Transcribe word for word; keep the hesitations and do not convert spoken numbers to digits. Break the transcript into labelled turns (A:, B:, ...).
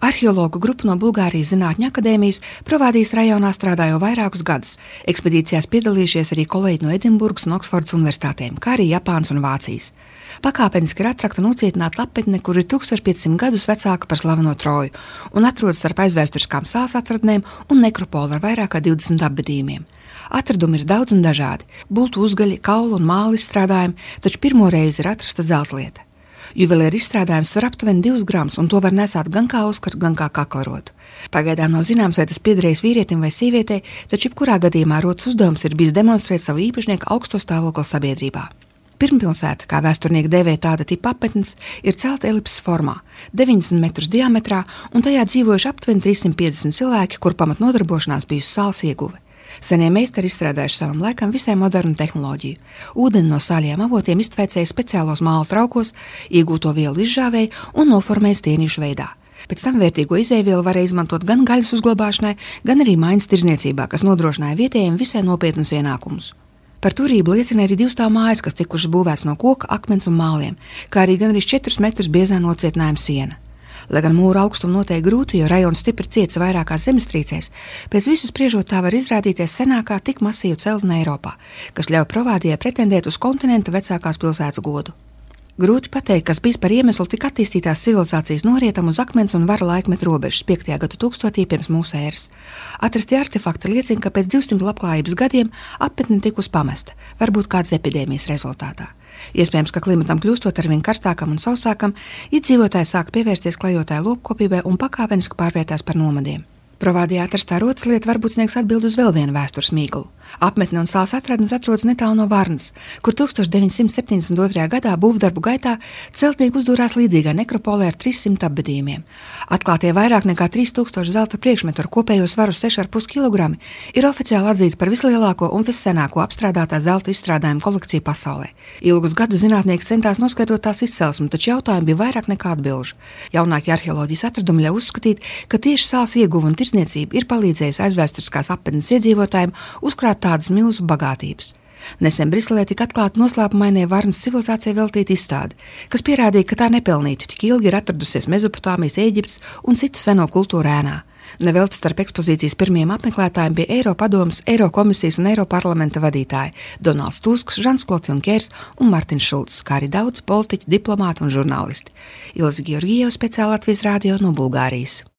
A: Arheologu grupa no Bulgārijas Zinātņu akadēmijas Provādijas rajonā strādā jau vairākus gadus. Ekspedīcijās piedalījušies arī kolēģi no Edinburgas un Oksfordas universitātēm, kā arī Japānas un Vācijas. Pakāpeniski ir atrakta un ucietināta lapetne, kur ir tūkstoš piecsimt gadus vecāka par slaveno Troju un atrodas starp aizvēsturiskām sāls atradnēm un nekropolu ar vairāk kā divdesmit apbedījumiem. Atradumi ir daudz un dažādi – bultu uzgaļi, kaulu un māla izstrādājumi, taču pirmo reizi ir atrasta zeltlieta. Juvelieru izstrādājums var aptuveni divus gramus, un to var nesāt gan kā uzkaru, gan kā kaklarotu. Pagaidām nav zināms, vai tas piederējis vīrietim vai sievietei, taču jebkurā gadījumā rotas uzdevums ir bijis demonstrēt savu īpašnieku augsto stāvokli sabiedrībā. Pirmpilsēta, kā vēsturnieki dēvē tāda tipa apmetnes, ir celta elipses formā, deviņdesmit metrus diametrā, un tajā dzīvojuši aptuveni trīssimt piecdesmit cilvēki, kur pamatnodarbošanās bijusi sāls ieguve. Senie meistari izstrādājuši savam laikam visai modernu tehnoloģiju. Ūdeni no sāļiem avotiem iztveicēja speciālos māla traukos, iegūto vielu izžāvēja un noformēja stienīšu veidā. Pēc tam vērtīgo izēvielu varēja izmantot gan gaļas uzglabāšanai, gan arī maiņas tirzniecībā, kas nodrošināja vietējiem visai nopietnus ienākumus. Par turību liecina arī divstāv mājas, kas tikušas būvēts no koka, akmens un māliem, kā arī gan arī četrus metrus biezā nocietinājuma siena. Lai gan mūra augstumu noteikti grūti, jo rajons stipri ciets vairākās zemestrīcēs, pēc visu spriežot tā var izrādīties senākā tik masīva celtne Eiropā, kas ļauj Provādijai pretendēt uz kontinenta vecākās pilsētas godu. Grūti pateikt, kas bijis par iemeslu tik attīstītās civilizācijas norietam uz akmens un vara laikmetu robežas piektajā gadu tūkstotī pirms mūsu ēras. Atrastie artefakti liecina, ka pēc divsimt labklājības gadiem apmetne tikus pamesta, varbūt kādas epidēmijas rezultātā. Iespējams, ka klimatam kļūstot arvien karstākam un sausākam, iedzīvotāji sāk pievērsties klejotāju lopkopībai un pakāpeniski pārvērtās par nomadiem. Provādijā atrastā rotas lieta varbūt sniegs atbildi uz vēl vienu vēstures mīklu. Apmetne un sāls atradnes atrodas netālu no Varnas, kur tūkstoš deviņsimt septiņdesmit otrajā gadā būvdarbu gaitā celtnieki uzdūrās līdzīgā nekropolē ar trīssimt apbedījumiem. Atklātie vairāk nekā trīs tūkstoši zelta priekšmetu ar kopējo svaru seši ar pus kilogrami ir oficiāli atzīti par vislielāko un vissenāko apstrādātā zelta izstrādājumu kolekciju pasaulē. Ilgus gadus zinātnieki centās noskaidrot tās izcelsmi, taču jautājumi bija vairāk nekā atbilžu. Jaunākie arheoloģijas atradumi ļauj uzskatīt, ka tieši sāls ieguva un tirsniecība ir palīdzējusi aizvēsturiskās apmetnes iedzīvotājiem uzkrāt tādas milzu bagātības. Nesen Briselē tika atklāta noslēpumainai Varnas civilizācijai veltīta izstāde, kas pierādīja, ka tā nepelnīti tik ilgi ir atradusies Mezopotāmijas, Ēģiptes un citu seno kultūru ēnā. Nevelti starp ekspozīcijas pirmajiem apmeklētājiem bija Eiropadomes, Eirokomisijas un Eiroparlamenta vadītāji Donalds Tusks, Žans Klods Junkers un Martins Šulcs, kā arī daudz politiķi, diplomāti un žurnālisti. Ilze Georgijeva, speciāli Latvijas radio no Bulgārijas.